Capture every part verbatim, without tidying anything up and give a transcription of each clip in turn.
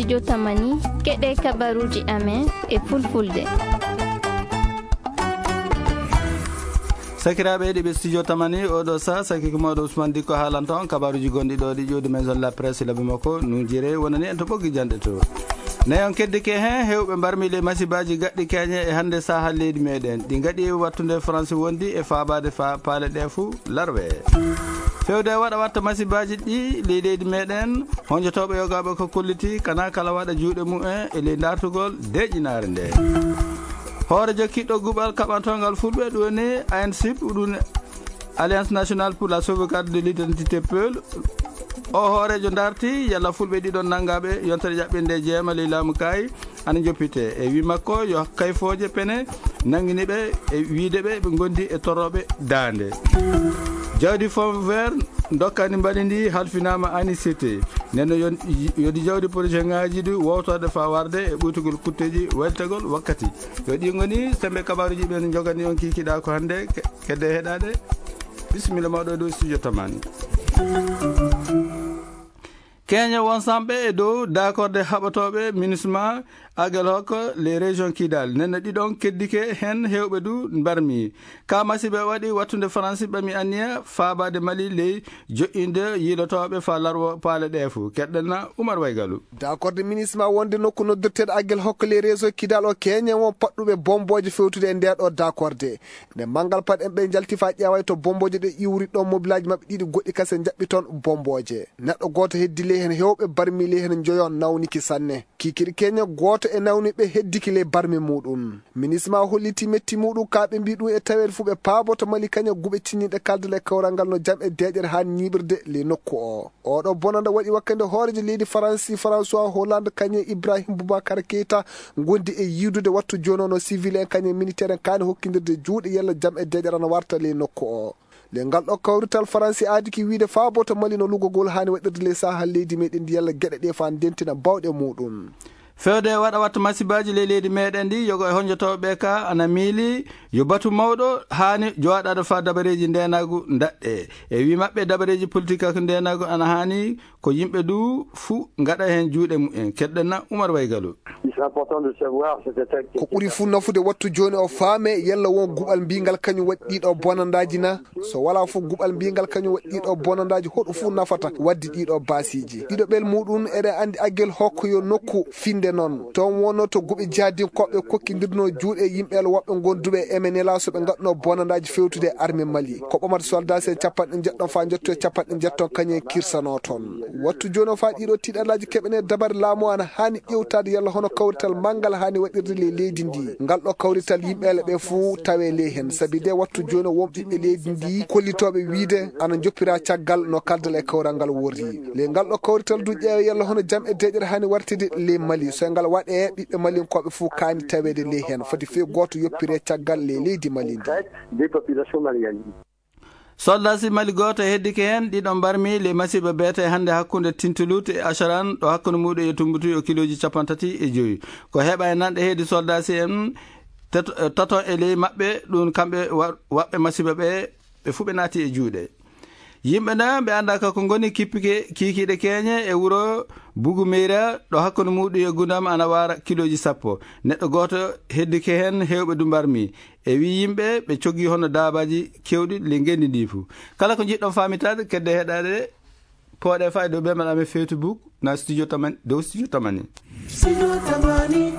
Jotamani, keɗe kabaruji amen e fulfulde. Sakiraaɓe heɗiiɓe Studio Tamani, oɗo sa, saki ko mawɗo Ousmane Dikko haalanta on kabaruji gonɗi ɗo ɗi ƴuwdi Maison de la Presse, labi makko nunjire wonani en to ɓoggi janɗe to. Nayi on keddike hen, hewɓe mbarmi ley masibaji gaɗɗi keñe e hannde saha leydi meɗen. Ɗi gaɗi wattude France wondi e faabade fa paale ɗe fuu larwe. Fewde e waɗa watta masibaji ɗi ley leydi meɗen, honjotoɓe yogaɓe ko kolliti kana kala waɗa juuɗe mumen e ley dartugol deƴƴinaare nde. Hoore jokkiɗɗo guɓal kaɓantongal fulɓe ɗum woni A N C I P, ɗum Alliance Nationale pour la Sauvegarde de l'Identité Peul. O hooreejo darti yalla fulɓe ɗiɗon nanngaɓe yontere ƴaɓɓinde jeema ley laamu kaayi ana joppite. E wi makko yo kayfooje pene nanngini ɓe e wiide ɓe ɓe gondi e torooɓe daande. Jawdi Fonds Vert dokkani mbali ndi halfinaama anicité. Nden no yon-, yodi jawdi projet ngaji ɗi wowtorde fa warde e ɓuytugol kutteji weltagol wakkati. Yo ɗi ngoni sembe kabaruji ɓen jogani on kikiɗa ko hannde ke-, kedde heɗaɗe. Bisimilla mawɗo e dow Studio Tamani. Keñe won samɓe e dow dakorde haɓatoɓe minisma Aguelhok les régions Kidal. Nenne ɗiɗon keddike hen hewɓe du mbarmi. Ka masiɓe waɗi wattude Faransi ɓami anniya faabade Mali ley joƴƴinde yiilotoɓe fa larwo paale ɗe fuu. Keɗɗenna Oumar Waygalu. Dakorde minisma wonde nokku noddirteɗo Aguelhok les régions Kidal o keñe won paɗɗuɓe bomboje fewtude e nde ɗo dakorde. Nde manngal paɗen ɓe njalti fa ƴeeway to bomboje ɗe iwri ɗon mobilaji maɓɓe ɗiɗi goɗɗi kase jaɓɓi toon bomboje. Neɗɗo gooto heddi ley heen hewɓe barmi ley heen njoyon nawniki sanne. Kikiɗe keñe gooto e nawniɓe heddiki ley barmi muɗum. Minisma holliti metti muɗum ka ɓe mbi ɗum e taweede fuu ɓe paaboto Mali kañe guɓe cinniɗe kaldal e kawral ngal no jam e deeƴere haa ñiiɓirde ley nokku o. Oɗo bonanda waɗi wakkande hooreejo leydi Faransi François Hollande kañe Ibrahim Boubacar Keita gondi e yiidude wattu jooni o no civil en kañe militaire en kaani hokkindirde juuɗe yalla jam e deeƴere ana warta ley nokku o. Le ngal ɗo kawrital Faransi aadi ki wiide faaboto Mali no lugogol haani waɗirde ley saha leydi meɗen ndi yalla geɗe ɗe fa ndentina bawɗe muɗum. Fewde waɗa watta masibaji ley leydi meɗen ndi yogo e honjotoɓe ka ana miili yo batu mawɗo haani jowaɗaɗo fa dabareji ndenagu daɗɗe. E wi maɓɓe dabareji politique ak ndenagu ana haani ko yimɓe du fuu ngaɗa heen juuɗe mumen. Keɗɗen na Oumar Waygalu. Il est important de savoir cette attaque. Ko ɓuri fuu nafude wattu jooni o faame yalla won guɓal mbiingal kañum waɗi ɗiɗo bonandaaji na? So walaa fof guɓal mbiingal kañum waɗi ɗiɗo bonandaaji hoɗo fuu nafata waddi ɗiɗo baasiiji. Ɗiɗo ɓel muɗum eɗen anndi Aguelhok yo nokku finde noon. Toon wonno to guɓe jihadinkoɓe kokkindirno juuɗe yimɓe el woɓɓe gonduɓe e M N L A so ɓe ngaɗno bonandaaji fewtude e armée Mali. Ko ɓamata soldat se capanɗe jeɗɗon faa njotto e capanɗe jeɗɗon kañum en kirsano toon. Wattu jooni o faa ɗiɗo tiiɗalaaji keɓene dabare laamu ana haani ƴewtaade yalla hono kawrital manngal haani waɗirde ley leydi ndi. Ngal ɗo kawrital yimɓe ele ɓe fuu tawe ley heen. Sabi de wattu jooni o won ɓiɓɓe leydi ndi kollitooɓe wiide ana njoppira caggal no kaldal e kawral ngal worri. Ley ngal ɗo kawrital du ƴeewe yalla hono jam e deeƴere haani wartide ley Mali. So ngal waɗe ɓiɓɓe Malinkooɓe fuu kaani taweede ley heen. Foti fii gooto yoppire caggal ley leydi Mali ndi. Des populations maliennes. Soldasi Mali gooto heddike heen, ɗiɗo mbarmi ley masiiba beete hannde hakkunde Tintulut e Acharan, ɗo hakkunde muɗum e Tumbutu yo kilooji capanɗe tati e joyi. Ko heɓa e nanɗe heedi soldasi en tet-, tato e ley maɓɓe, ɗum kamɓe wa-, waɓɓe masiiba ɓe, ɓe fuu ɓe naati e juuɗe. Yimɓe na ɓe annda ka ko ngoni kippike kiikiiɗe keeñe e wuro Bugu Meyra, ɗo hakkunde muɗum e Gundam ana waara kilooji sappo. Neɗɗo gooto heddike heen, hewɓe du mbarmi. E wi yimɓe ɓe coggi hono daabaaji kewɗi le ngenndi ndi fuu. Kala ko njiɗɗon faamitaade, kedde heɗaade, pooɗe faa e dow ɓe mbaɗa men Facebook, na studio Tamani, dow studio Tamani. Studio Tamani.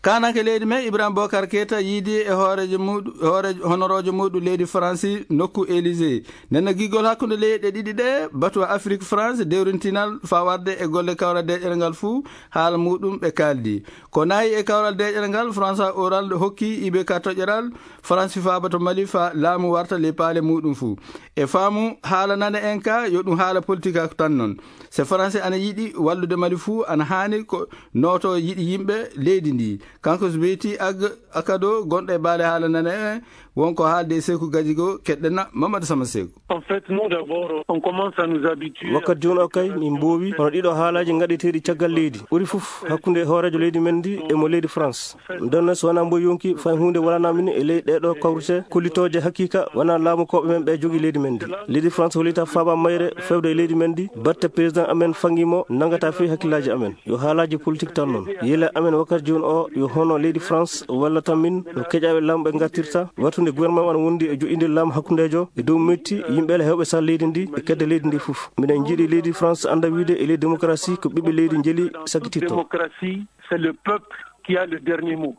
Kaananke leydi men, Ibrahim Bokar Keita, yiidi e hooreejo muɗum, hooreejo, honoroojo muɗum leydi Faransi, nokku Élysée. Nden no giggol hakkunde leyɗe ɗiɗi ɗe, batu Afrik France, dewrintinal faa warde e golle kawral deeƴere ngal fuu, haala muɗum ɓe kaaldi. Ko nayi e kawral deeƴere ngal, François Hollande hokki I B K toƴƴeral, Faransi faaba to Mali faa laamu warta ley paale muɗum fuu. E faamu haala nane en ka, yo ɗum haala politique tan noon. Se Faransi ana yiɗi wallude Mali fuu, ana haani ko nooto yiɗi yimɓe leydi ndi. Kanko so beyti ag akado gonɗo e baale haala nane, wonko haalde e Seeku Gajigo, keɗɗena Mamadou Sama Seeku. En fait, nous d'abord, on commence à nous habituer. Wakkati jooni o kay, min mboowi hono ɗiɗo haalaaji ngaɗeteeɗi caggal leydi. Ɓuri fof hakkunde hooreejo leydi men ndi e mo leydi France. Nden so wonaa mbo yonki fay huunde wonanaa min e ley ɗeɗo kawrite kollitooje hakiika wonaa laamu koɓe men ɓe jogi leydi men ndi. Leydi France hollita faaba mayre fewde e leydi men ndi, batte président amen fangi mo nangata fii hakkillaaji amen. Yo haalaaji politique tan noon. Yila amen wakkati jooni o yo hono leydi France walla tan min no keƴaaɓe laamu ɓe ngartirta, wattude gouvernement o ana wondi e joƴƴinde laamu hakkundeejo e dow metti yimɓe ala heewɓe sal leydi ndi e kedde leydi ndi fof. Minen njiɗi leydi France annda wiide e leydi démocratie ko ɓiɓɓe leydi njeli sakkititto. Démocratie, c'est le peuple qui a le dernier mot.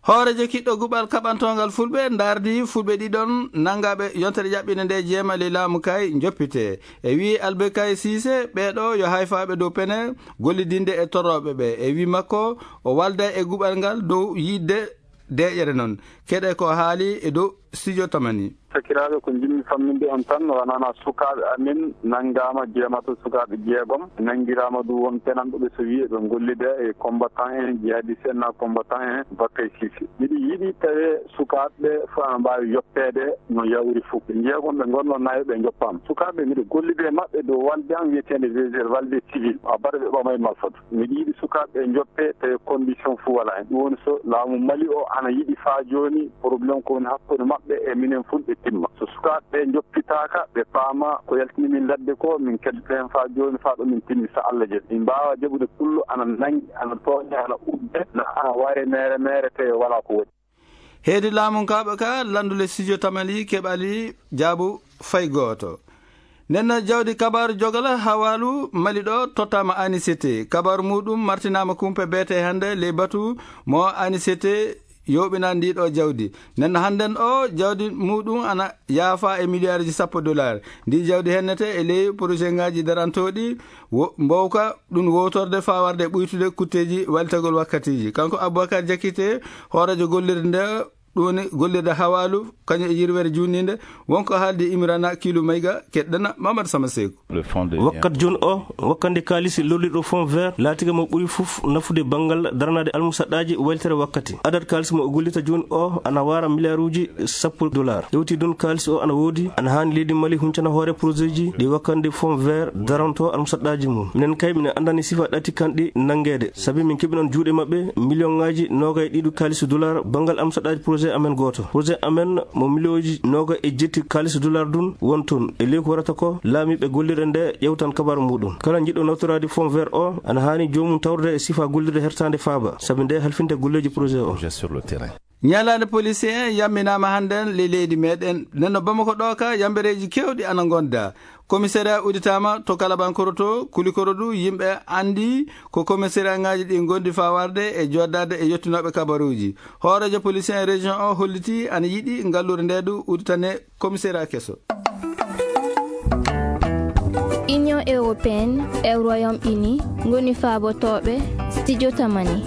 Hooreejo kiɗɗo guɓal kaɓantongal Fulɓe ndaardi Fulɓe ɗiɗon nangaaɓe yontere ƴaɓɓinde nde jeema ley laamu kay njoppite. E wii Albert Kay Siise, ɓeeɗo yo hayfaaɓe dow pene gollidinde e torrooɓe ɓe. E wii makko, o walda e guɓal ngal dow yiɗde deeƴere noon. Keɗe ko haali e dow studio Tamani. Sakiraaɓe, ko njiɗmi famminde on tan, wonana sukaaɓe amen nanngaama jeemato sukaaɓe jeegom, nanngiraama ɗum won penanɗo ɓe so wiyee ɓe ngollida e combattant en, jihadiste en, na combattant en, Bakkay Sisi. Miɗo yiɗi tawee sukaaɓe ɓe fof ana mbaawi yoppeede no yawri fof. Ɓe jeegom ɓe ngonnoo nayo ɓe njoppaama. Sukaaɓe, miɗo gollida e maɓɓe dow walde am wiyeteende V G R, walde civil, a baɗa ɓe ɓama e malfatu. Miɗo yiɗi sukaaɓe ɓe njoppee tawi condition fof wala heen. Ɗum woni so laamu Mali o ana yiɗi faa jooni problème ko woni hakkunde maɓɓe e minen Fulɓe timma. So sukaaɓe ɓe njoppitaaka, ɓe paama ko yaltini min ladde ko, min keddata heen faa jooni, faa ɗo min timmi, so Allah jaɓi. Min mbaawa jaɓude pullo ana nanngi, ana tooña, ana udde, na ana ware meere meere, tawi wala ko waɗi. Heedi laamu kaaɓe ka lanndule studio Tamali keɓali jaabu fay gooto. Nden jawdi kabaaru jogala hawaalu Mali ɗo tottaama A N C T. Kabaaru muuɗum martinaama kumpe beete hannde ley batu mo A N C T yooɓinani ndi ɗo jawdi. Nden hannden o jawdi muuɗum ana yaafa e miliyaaruji sappo dollar. Ndi jawdi hennete e ley projet ngaaji darantooɗi wo-, mbowka ɗum wowtorde faa warde ɓuytude kutteeji walitagol wakkatiiji. Kanko Aboubacar Diakité, hooreejo gollirde nde, ɗum woni gollirde hawaalu, kañum e yirwere juutninde, wonko haaldi Imrana Kilu Mayga, keɗɗana Mamadou Sama Seeku. Le fonds de Wakkat jooni o, wakkande kaalis lolliɗo Fonds Vert, laatiga mo ɓuri fof nafude banngal daranaade almusaɗɗaaji waylitere wakkati. Adat kaalis mo o gollita jooni o ana waara miliyaaruuji sappo dollar. Hewti ɗum kaalis o ana woodi, ana haani leydi Mali huncana hoore projet ji ɗi wakkande Fonds Vert daranto almusaɗɗaaji mum. Minen kay minen anndani sifa ɗati kanɗi nanngeede, sabi min keɓi noon juuɗe maɓɓe miliyoŋaaji noogay ɗiɗi kaalis dollar banngal almusaɗɗaaji projet amen gooto. Projet amen mo miliyooji noogay e jetti kaalis dollar ɗum won toon. E ley ko warata ko laamiiɓe gollirde nde ƴewtan kabaaru muuɗum. Kala njiɗɗo nawtoraade Fonds Vert o ana haani joomum tawde e sifa gollirde hertaande faaba, sabi nde halfinde golleeji projet o. Projet sur le terrain. Ñalaande policier yamminaama hannden ley leydi meɗen. Nden no Bamako ɗo ka yambereeji keewɗi ana ngonda. Commissariat udditaama to Kalabankoro to, Kulikoro du, yimɓe anndi ko commissariat ngaaji ɗi ngondi faa warde e joddaade e yottinooɓe kabaruuji. Hooreejo policier région o holliti ana yiɗi ngalluure nde du udditane commissariat keso. Union européenne e Royaume-Uni ngoni faabotooɓe studio Tamani.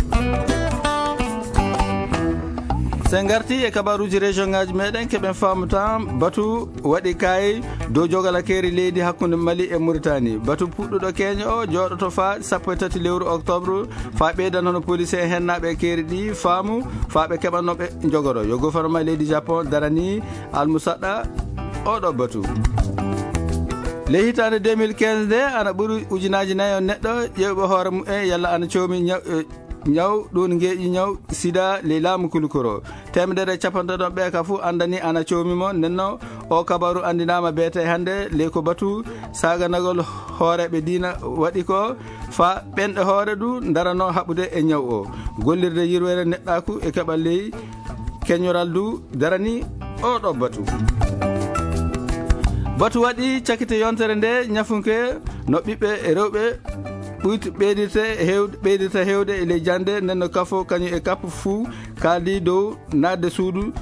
So en ngarti e kabaruuji région ngaaji meɗen, keɓen faamu tan batu waɗi kay dow jogalakeeri leydi hakkunde Mali e Mauritanie. Batu puɗɗuɗo keño o jooɗoto faa sappo e tati lewru octobre, faa ɓeydan hono police en hennaaɓe e keeri ɗi faamu, faa ɓe keɓanno ɓe njogoro. Yo gouvernement leydi Japon darani almusaɗɗa oɗo batu. Ley hitaande deux mille quinze nde, ana ɓuri ujunaaji nayo neɗɗo ƴeewɓe hoore mumen yalla ana coomi ñaw, eh, ñaw ɗum ngeeƴi ñaw sida ley laamu Kulikoro. Teemedere e capanɗe ɗiɗi ɓe ka fuu anndani ana coomi mo. Nden no o kabaru anndinaama beete hannde ley ko batu saaganagol hooreeɓe diina waɗi ko faa ɓenɗe hoore du ndarano haɓude e ñaw o. Gollirde yirwere neɗɗaaku e keɓal ley keñoral du darani oɗo batu. Batu waɗi cakite yontere nde ñafunke no ɓiɓɓe rewɓe ɓuyt-, ɓeydirte heewde, ɓeydirta heewde e ley jannde, nden no kafo kañum e kappo fuu kaaldi dow naatde suudu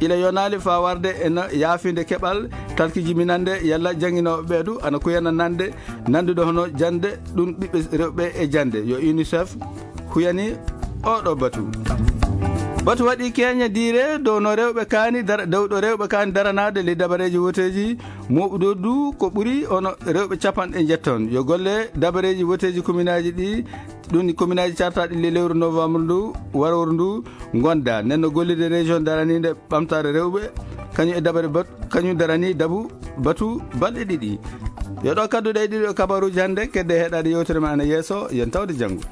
ila yonaali faa warde e no yaafinde keɓal talki jibinannde yalla jannginooɓe ɓee du ana kuyana nande nanndude hono jannde ɗum ɓiɓɓe rewɓe e jannde. Yo UNICEF huyani oɗo batu. Batu waɗi keña diire dow no rewɓe kaani dara, dow ɗo rewɓe kaani daranaade ley dabareeji woteeji mooɓuɗo du ko ɓuri ono rewɓe capanɗe njetton. Yo golle dabareeji woteeji kominaaji ɗi, ɗum ni kominaaji cartaaɗi ley lewru novembre ndu, warooru ndu, ngonda. Nden no gollirde région daraniinde ɓamtaare rewɓe, kañum e dabare bat-, kañum darani dabu batu balɗe ɗiɗi. Yo ɗo kadduɗe e ɗiɗo kabaruuji hannde, kedde heɗaade yewtere ma ana yeeso, yen tawde janngo.